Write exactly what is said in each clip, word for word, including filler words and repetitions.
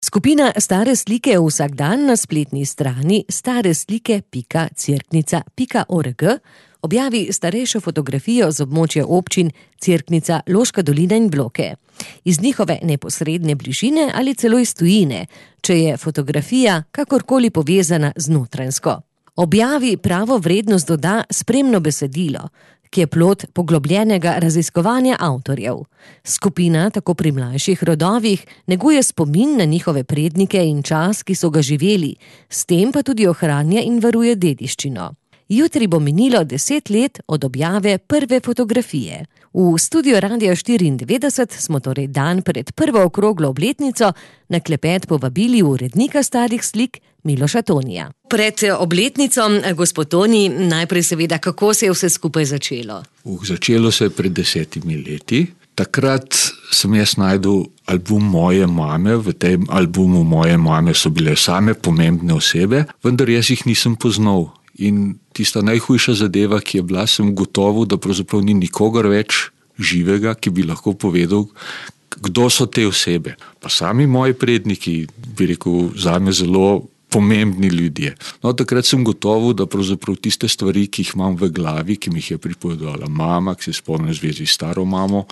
Skupina Stare slike vsak dan na spletni strani stareslike pika cerknica pika org objavi starejšo fotografijo z območja občin Cerknica, Loška dolina in Bloke. Iz njihove neposredne bližine ali celo iz tujine, če je fotografija kakorkoli povezana z Notranjsko. Objavi pravo vrednost doda spremno besedilo, ki je plod poglobljenega raziskovanja avtorjev. Skupina tako pri mlajših rodovih neguje spomin na njihove prednike in čas, ki so ga živeli, s tem pa tudi ohranja in varuje dediščino. Jutri bo minilo deset let od objave prve fotografije. V studio Radia štiriindevetdeset smo torej dan pred prvo okroglo obletnico na klepet povabili urednika starih slik Miloša Tonija. Pred obletnico, gospod Toni, najprej seveda, kako se je vse skupaj začelo? Uh, začelo se je pred desetimi leti. Takrat sem jaz najdel album moje mame. V tem albumu moje mame so bile same pomembne osebe, vendar jaz jih nisem poznal. In tista najhujša zadeva, ki je bila, sem gotovo, da pravzaprav ni nikogar več živega, ki bi lahko povedal, kdo so te osebe. Pa sami moji predniki, bi rekel, zame zelo pomembni ljudje. No, takrat sem gotovo, da pravzaprav tiste stvari, ki jih imam v glavi, ki mi jih je pripovedovala mama, ki se spomnim v zvezi s staro mamo,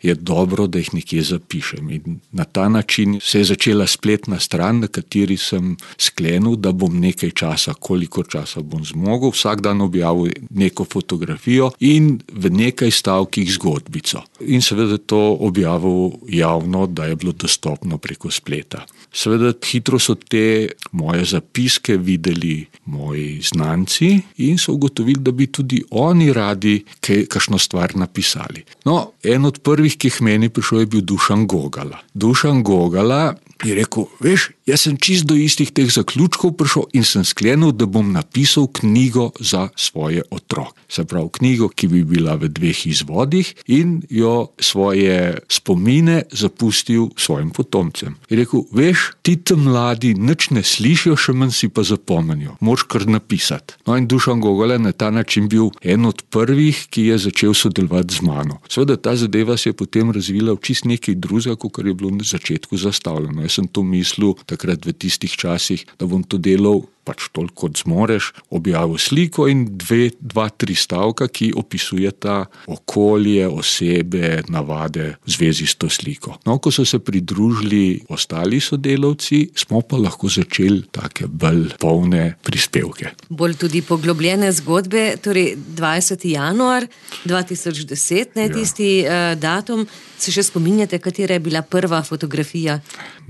je dobro, da jih nekje zapišem. In na ta način se je začela spletna stran, na kateri sem sklenil, da bom nekaj časa, koliko časa bom zmogel, vsak dan objavil neko fotografijo in v nekaj stavkih zgodbico. In seveda to objavil javno, da je bilo dostopno preko spleta. Seveda hitro so te moje zapiske videli moji znanci in so ugotovili, da bi tudi oni radi kaj, kakšno stvar napisali. No, en od prvih, ki jih meni prišel, je bil Dušan Gogala. Dušan Gogala je rekel, veš, jaz sem čist do istih teh zaključkov prišel in sem sklenil, da bom napisal knjigo za svoje otroke. Se pravi, knjigo, ki bi bila v dveh izvodih in jo svoje spomine zapustil svojim potomcem. Je rekel, veš, ti tam mladi nič ne slišijo, še manj si pa zapomnijo. Moraš kar napisati. No in Dušan Gogala na ta način bil en od prvih, ki je začel sodelovati z mano. Seveda ta zadeva se je potem razvila v čist nekaj drugega, kot je bilo na začetku zastavljeno. Jaz sem to mislil takrat v tistih časih, da bom to delal pač toliko, kot zmoreš, objavil sliko in dve, dva, tri stavka, ki opisujeta okolje, osebe, navade v zvezi s to sliko. No, ko so se pridružili ostali sodelavci, smo pa lahko začeli take bolj polne prispevke. Bolj tudi poglobljene zgodbe, torej dvajseti januar dva tisoč deset, ne, tisti ja. uh, datum. Se še spominjate, katera je bila prva fotografija?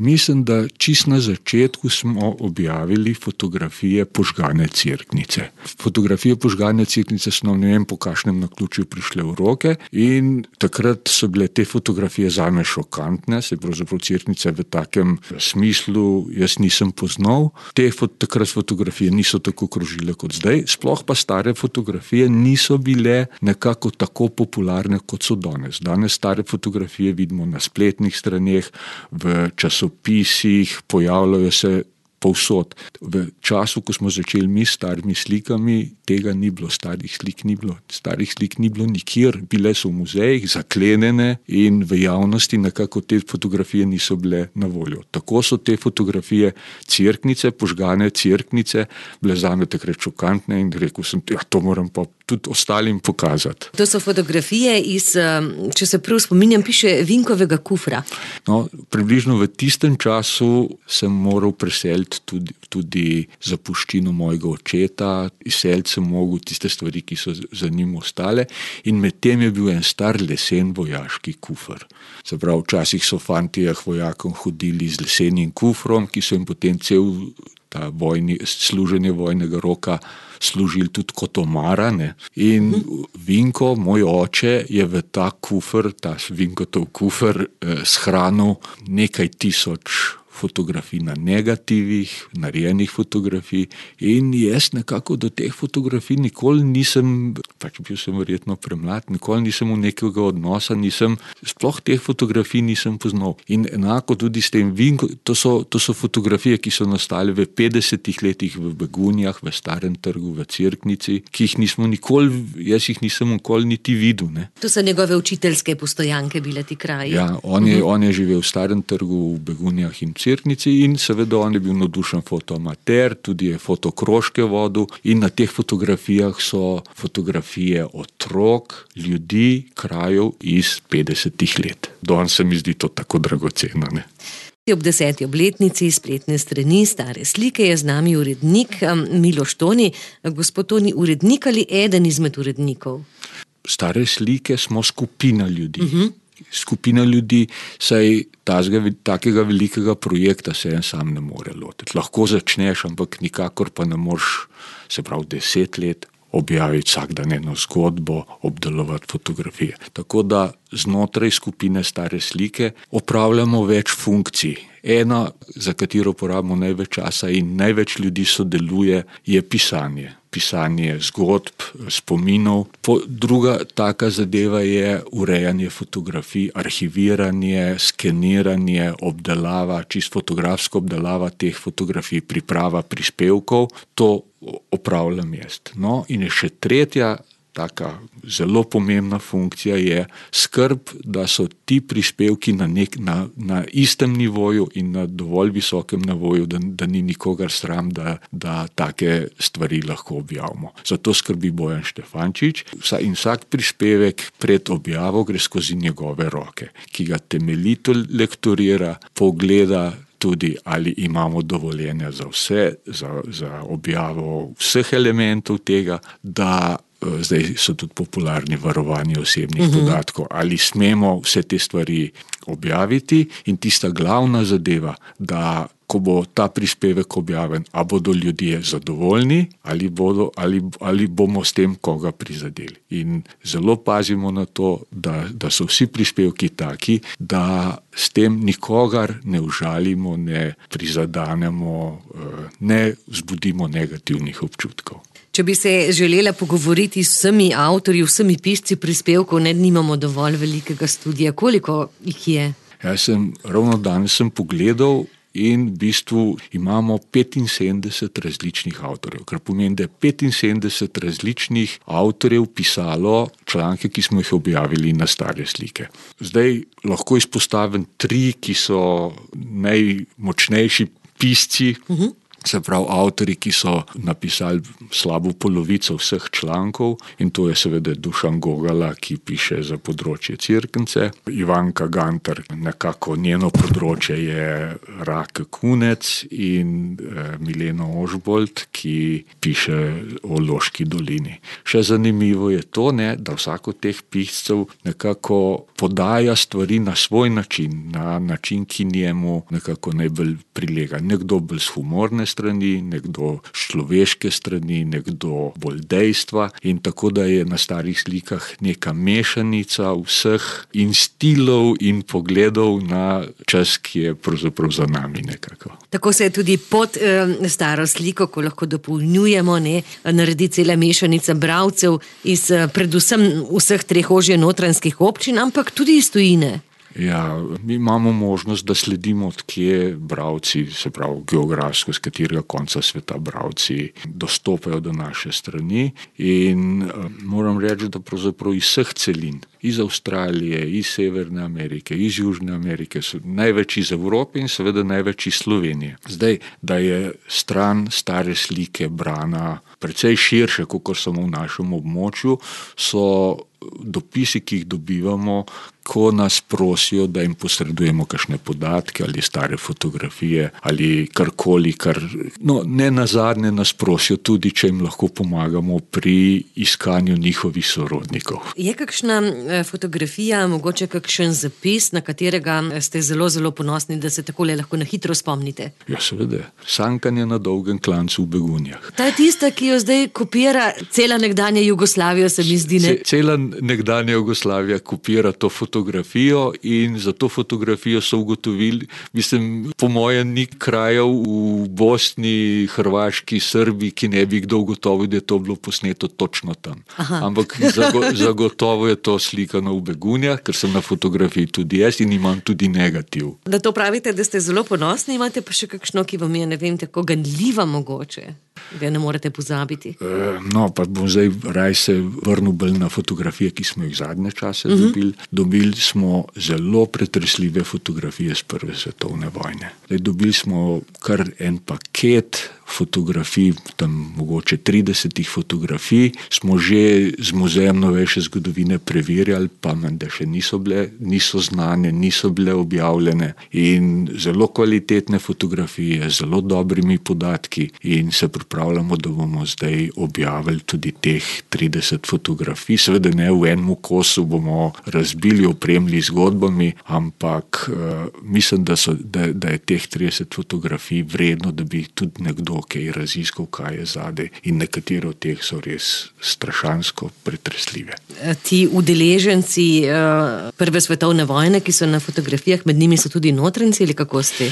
Mislim, da čist na začetku smo objavili fotografije požgane cerknice. Fotografije požgane cerknice so nam, ne vem, po kakšnem naključju prišle v roke in takrat so bile te fotografije zame šokantne, se pravzaprav cerknice v takem smislu jaz nisem poznal. Te fot- takrat fotografije niso tako krožile kot zdaj, sploh pa stare fotografije niso bile nekako tako popularne, kot so danes. Danes stare fotografije Fotografije vidimo na spletnih straneh, v časopisih, pojavljajo se povsod. V času, ko smo začeli mi s starimi slikami, tega ni bilo, starih slik ni bilo. Starih slik ni bilo nikjer, bile so v muzejih, zaklenjene in v javnosti nekako te fotografije niso bile na voljo. Tako so te fotografije cerknice, požgane cerknice, bile zame takrat šokantne in rekel sem, ja, to moram pa tudi ostalim pokazati. To so fotografije iz, če se prav spominjam, piše Vinkovega kufra. No, približno v tistem času sem moral preseliti tudi, tudi zapuščino mojega očeta, izseliti sem mogel tiste stvari, ki so za njim ostale in med tem je bil en star lesen vojaški kufr. Se pravi, včasih so fantje vojakom hodili z lesenim kufrom, ki so jim potem cel ta vojni, služenje vojnega roka služili tudi kot omara, ne. In Vinko, moj oče, je v ta kufr, ta Vinkotov kufr eh, shranil nekaj tisoč fotografij na negativih, narejenih fotografij in jaz nekako do teh fotografij nikoli nisem, pač bil sem verjetno premlad, nikoli nisem v nekega odnosa, nisem, sploh teh fotografij nisem poznal. In enako tudi s tem Vinko, to so, to so fotografije, ki so nastale v petdesetih letih v Begunjah, v Starem trgu, v Cerknici, ki jih nismo nikoli, jaz jih nisem nikoli niti videl, ne. To so njegove učiteljske postojanke bile ti kraji. Ja, on je, uh-huh. on je živel v Starem trgu, v Begunjah in Cerknici in seveda on je bil navdušen fotoamater, tudi je fotokrožke vodil in na teh fotografijah so fotografije otrok, ljudi, krajev iz petdesetih let. Danes se mi zdi to tako dragoceno, ne. Ob deseti obletnici spletne strani Stare slike je z nami urednik Miloš Toni. Gospod Toni, urednik ali eden izmed urednikov? Stare slike smo skupina ljudi. Uh-huh. Skupina ljudi, saj tazga, takega velikega projekta se en sam ne more lotiti. Lahko začneš, ampak nikakor pa ne moreš, se pravi, deset let objaviti vsak dan eno zgodbo, obdelovati fotografije. Tako da znotraj skupine Stare slike opravljamo več funkcij. Ena, za katero porabimo največ časa in največ ljudi sodeluje, je pisanje. Pisanje zgodb, spominov. Po, druga taka zadeva je urejanje fotografij, arhiviranje, skeniranje, obdelava, čisto fotografska obdelava teh fotografij, priprava prispevkov. To opravljam jaz. No, in je še tretja taka zelo pomembna funkcija je skrb, da so ti prispevki na, nek, na, na istem nivoju in na dovolj visokem nivoju, da, da ni nikogar sram, da, da take stvari lahko objavimo. Zato skrbi Bojan Štefančič in vsak prispevek pred objavo gre skozi njegove roke, ki ga temeljito lektorira, pogleda tudi, ali imamo dovoljenja za vse, za, za objavo vseh elementov tega, da zdaj so tudi popularni varovanje osebnih uh-huh. podatkov, ali smemo vse te stvari objaviti in tista glavna zadeva, da ko bo ta prispevek objavljen, a bodo ljudje zadovoljni ali, bodo, ali, ali bomo s tem koga prizadeli. In zelo pazimo na to, da, da so vsi prispevki taki, da s tem nikogar ne užalimo, ne prizadanemo, ne vzbudimo negativnih občutkov. Če bi se želela pogovoriti s vsemi avtorji, vsemi pisci prispevkov, ne nimamo dovolj velikega studija. Koliko jih je? Jaz sem, ravno danes sem pogledal in v bistvu imamo petinsedemdeset različnih avtorjev, kar pomeni, da je petinsedemdeset različnih avtorjev pisalo članke, ki smo jih objavili na Stare slike. Zdaj lahko izpostavim tri, ki so najmočnejši pisci, uh-huh. se pravi avtorji, ki so napisali slabo polovico vseh člankov in to je seveda Dušan Gogala, ki piše za področje Cerknice. Ivanka Gantar, nekako njeno področje je Rake Kunec in eh, Milena Ožbolt, ki piše o Loški dolini. Še zanimivo je to, ne, da vsak od teh piscev nekako podaja stvari na svoj način, na način, ki njemu nekako najbolj prilega. Nekdo bolj s humorne strani, nekdo človeške strani, nekdo bolj dejstva in tako, da je na Starih slikah neka mešanica vseh in stilov in pogledov na čas, ki je pravzaprav za nami nekako. Tako se je tudi pod eh, Staro sliko, ko lahko dopolnjujemo, ne, naredi cela mešanica bralcev iz eh, predvsem vseh treh ožje notranjskih občin, ampak tudi iz tujine. Ja, mi imamo možnost, da sledimo, odkje bralci, se pravi geografsko, z katerega konca sveta bralci dostopajo do naše strani in uh, moram reči, da pravzaprav iz vseh celin, iz Avstralije, iz Severne Amerike, iz Južne Amerike, so največ iz Evrope in seveda največ iz Slovenije. Zdaj, da je stran Stare slike brana precej širše, kot samo v našem območju, so dopisi, ki jih dobivamo, ko nas prosijo, da jim posredujemo kakšne podatke ali stare fotografije ali karkoli, kar, no, ne nazadnje nas prosijo tudi, če jim lahko pomagamo pri iskanju njihovih sorodnikov. Je kakšna fotografija, mogoče kakšen zapis, na katerega ste zelo, zelo ponosni, da se takole lahko na hitro spomnite? Ja, seveda. Sankanje na dolgem klancu v Begunjah. Ta je tista, ki jo zdaj kopira cela nekdanja Jugoslavija, se mi zdi, ne? Cela nekdanja Jugoslavija kopira to fotografijo in za to fotografijo so ugotovili, mislim, po mojem ni krajev v Bosni, Hrvaški, Srbiji, ki ne bi kdo ugotovil, da je to bilo posneto točno tam. Aha. Ampak zago, zagotovo je to slika naslikano v begunjah, ker sem na fotografiji tudi jaz in imam tudi negativ. Da to pravite, da ste zelo ponosni, imate pa še kakšno, ki vam je, ne vem, tako ganljiva mogoče, da ne morete pozabiti? E, no, pa bom zdaj raj se vrnil bolj na fotografije, ki smo jih zadnje čase uh-huh. dobili. Dobili smo zelo pretresljive fotografije z prve svetovne vojne. Zdaj, dobili smo kar en paket fotografij, tam mogoče tridesetih fotografij, smo že z Muzejem novejše zgodovine preverjali, pa menda še niso bile, niso znane, niso bile objavljene in zelo kvalitetne fotografije, zelo dobrimi podatki in se pripravljamo, da bomo zdaj objavili tudi teh trideset fotografij. Seveda ne v enem kosu bomo razbili, opremili zgodbami, ampak uh, mislim, da, so, da, da je teh trideset fotografij vredno, da bi tudi nekdo kaj raziskal, kaj je zadaj in nekatere od teh so res strašansko pretresljive. Ti udeleženci uh, prve svetovne vojne, ki so na fotografijah, med njimi so tudi notranjci ali kako ste?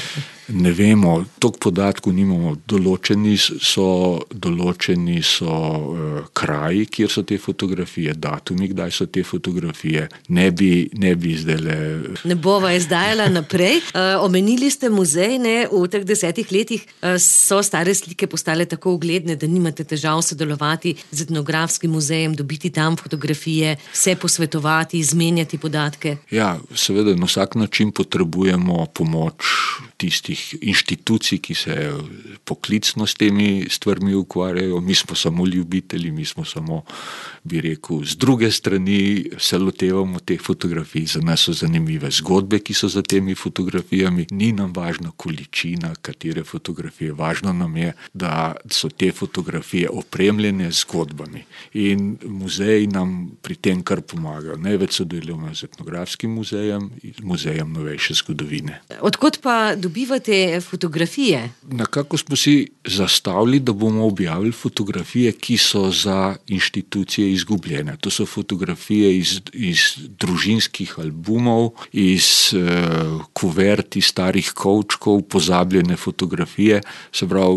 Ne vemo, toliko podatkov nimamo. Določeni so, določeni so uh, kraji, kjer so te fotografije, datumi, kdaj so te fotografije. Ne bi, ne bi zdajle... Ne bova izdajala naprej. Uh, omenili ste muzej, ne? V teh desetih letih uh, so stare slike postale tako ugledne, da nimate težav sodelovati z etnografskim muzejem, dobiti tam fotografije, se posvetovati, izmenjati podatke. Ja, seveda na vsak način potrebujemo pomoč tistih inštitucij, ki se poklicno s temi stvarmi ukvarjajo. Mi smo samo ljubitelji, mi smo samo, bi rekel, z druge strani se lotevamo teh fotografij. Za nas so zanimive zgodbe, ki so za temi fotografijami. Ni nam važna količina, katere fotografije. Važno nam je, da so te fotografije opremljene z zgodbami. In muzej nam pri tem kar pomaga. Največ sodelujemo z etnografskim muzejem in Muzejem novejše zgodovine. Odkot pa dobivate fotografije? Nekako smo si zastavili, da bomo objavili fotografije, ki so za inštitucije izgubljene. To so fotografije iz, iz družinskih albumov, iz uh, kuvert, iz starih kovčkov, pozabljene fotografije. Se pravi,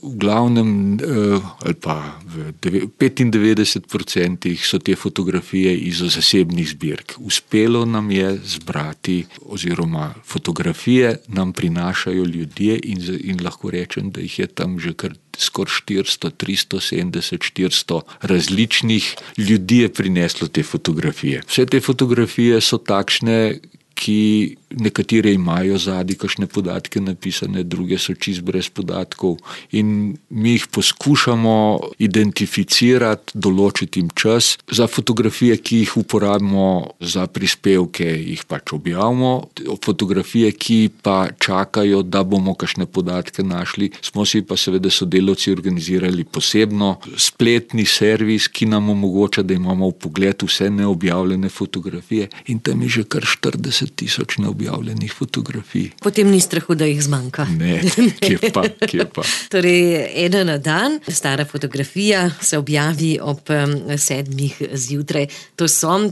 v glavnem uh, ali pa v petindevetdeset procentih so te fotografije iz zasebnih zbirk. Uspelo nam je zbrati oziroma fotografije nam prinašajo ljudje in, in lahko rečem, da jih je tam že kar skoraj štiristo, tristo sedemdeset, štiristo različnih ljudi je prineslo te fotografije. Vse te fotografije so takšne, ki nekatere imajo zadaj kakšne podatke napisane, druge so čist brez podatkov in mi jih poskušamo identificirati, določiti jim čas. Za fotografije, ki jih uporabimo za prispevke, jih pač objavimo. Fotografije, ki pa čakajo, da bomo kakšne podatke našli, smo si pa seveda sodelavci organizirali posebno spletni servis, ki nam omogoča, da imamo v pogledu vse neobjavljene fotografije in tam je že kar štirideset tisoč neobjavljenih fotografij. Potem ni strahu, da jih zmanjka. Ne, kje pa, kje pa. Torej, ena na dan, stara fotografija se objavi ob um, sedmih zjutraj. To so uh,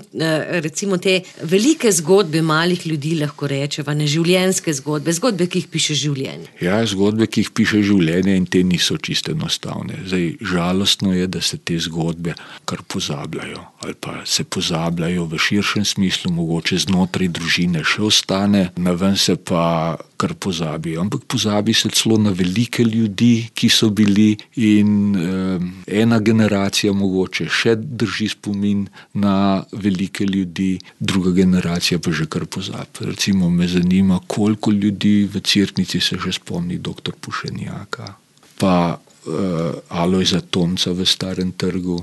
recimo te velike zgodbe malih ljudi, lahko rečeva, neživljenjske zgodbe, zgodbe, ki jih piše življenje. Ja, zgodbe, ki jih piše življenje in te niso čisto enostavne. Zdaj, žalostno je, da se te zgodbe kar pozabljajo ali pa se pozabljajo v širšem smislu, mogoče znotraj družine še ostane, na ven se pa kar pozabi. Ampak pozabi se celo na velike ljudi, ki so bili in eh, ena generacija mogoče še drži spomin na velike ljudi, druga generacija pa že kar pozabi. Recimo me zanima, koliko ljudi v Cerknici se že spomni doktor Pušenjaka, pa eh, Alojza Tomca v Starem trgu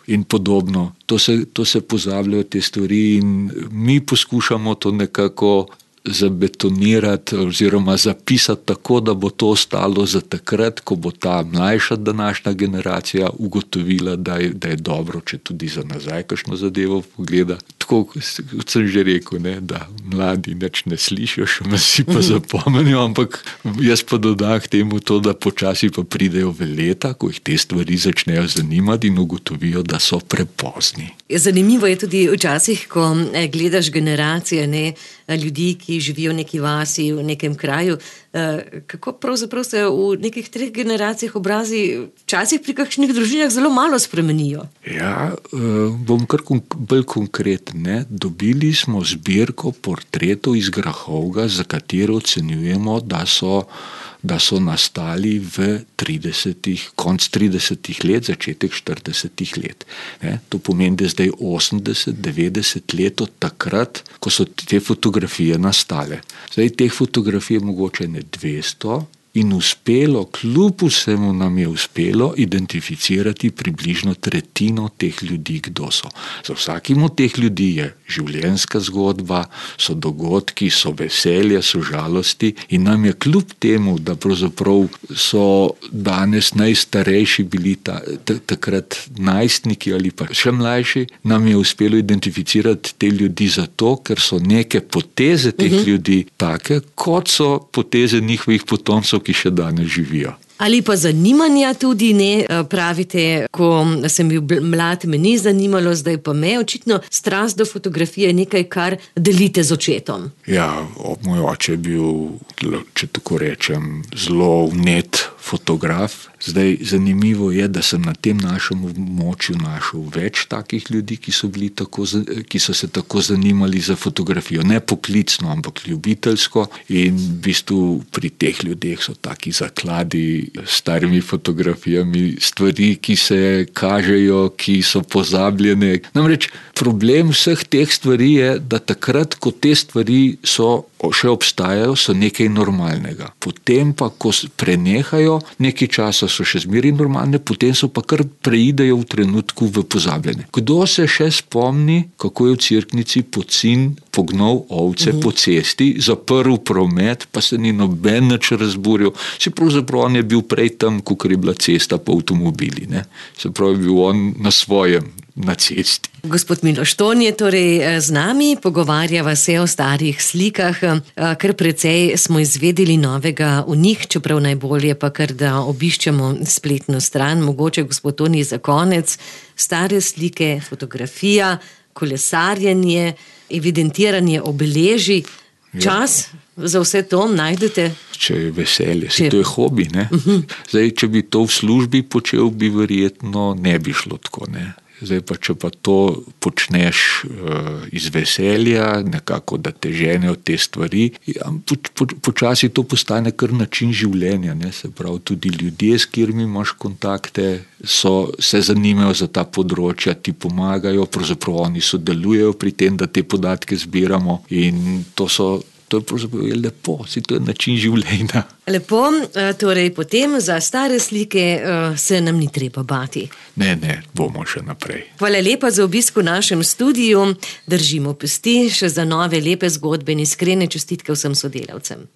in podobno. To se, to se pozabljajo te stvari in mi poskušamo to nekako zabetonirati oziroma zapisati tako, da bo to ostalo za takrat, ko bo ta mlajša današnja generacija ugotovila, da je, da je dobro, če tudi za nazaj kakšno zadevo pogleda. Tako, kot sem že rekel, ne, da mladi nič ne slišijo, še me si pa zapomnijo, ampak jaz pa dodam k temu to, da počasi pa pridejo v leta, ko jih te stvari začnejo zanimati in ugotovijo, da so prepozni. Zanimivo je tudi včasih, ko gledaš generacije, ne, ljudi, ki živijo v neki vasi, v nekem kraju, Kako pravzaprav se v nekih treh generacijah obrazi včasih pri kakšnih družinah zelo malo spremenijo? Ja, bom kar bolj konkreten. Ne? Dobili smo zbirko portretov iz Grahovga, za katero ocenjujemo, da so da so nastali v tridesetih, konc tridesetih let, začetek štiridesetih let. Ne? To pomeni, da je zdaj osemdeset, devetdeset let od takrat, ko so te fotografije nastale. Zdaj teh fotografij je mogoče ne dvesto in uspelo, kljub vsemu nam je uspelo identificirati približno tretjino teh ljudi, kdo so. Za vsakim od teh ljudi je življenjska zgodba, so dogodki, so veselje, so žalosti in nam je kljub temu, da pravzaprav so danes najstarejši bili ta, t- takrat najstniki ali pa še mlajši, nam je uspelo identificirati te ljudi zato, ker so neke poteze teh uh-huh. ljudi take, kot so poteze njihovih potomcev, ki še danes živijo. Ali pa zanimanja tudi ne, pravite, ko sem bil mlad, me ni zanimalo, zdaj pa me, očitno strast do fotografije je nekaj, kar delite z očetom. Ja, moj oče je bil, če tako rečem, zelo vnet fotograf. Zdaj, zanimivo je, da sem na tem našem območju našel več takih ljudi, ki so, bili tako, ki so se tako zanimali za fotografijo. Ne poklicno, ampak ljubiteljsko. In v bistvu pri teh ljudeh so taki zakladi s starimi fotografijami, stvari, ki se kažejo, ki so pozabljene. Namreč problem vseh teh stvari je, da takrat, ko te stvari so še obstajajo, so nekaj normalnega. Potem pa, ko prenehajo, nekaj časa so še zmeri normalne, potem so pa kar preidejo v trenutku v pozabljene. Kdo se še spomni, kako je v Cerknici pocin pognal ovce mm-hmm. po cesti, zaprl promet, pa se ni noben nič razburil. Se pravzaprav on je bil prej tam, kakor je bila cesta po avtomobili. Ne? Se pravi, je bil on na svojem, na cesti. Gospod Miloš Ton je torej z nami, pogovarjava se o starih slikah, kar precej smo izvedeli novega v njih, čeprav najbolje pa kar da obiščemo spletno stran. Mogoče, gospod Toni, za konec, stare slike, fotografija, kolesarjenje, evidentiranje obeležij, čas za vse to najdete? Če je veselje, se to je hobi, ne? Uh-huh. Zdaj, če bi to v službi počel, bi verjetno ne bi šlo tako, ne? Zdaj pa, če pa to počneš uh, iz veselja, nekako, da te ženejo te stvari, ja, po, po, počasi to postane kar način življenja, ne? Se pravi, tudi ljudje, s katerimi imaš kontakte, so, se zanimajo za ta področja, ti pomagajo, pravzaprav oni sodelujejo pri tem, da te podatke zbiramo in to so To je pravzaprav lepo, si to je način življenja. Lepo, torej potem za stare slike se nam ni treba bati. Ne, ne, bomo še naprej. Hvala lepa za obisk v našem studiu. Držimo pesti še za nove lepe zgodbe in iskrene čestitke vsem sodelavcem.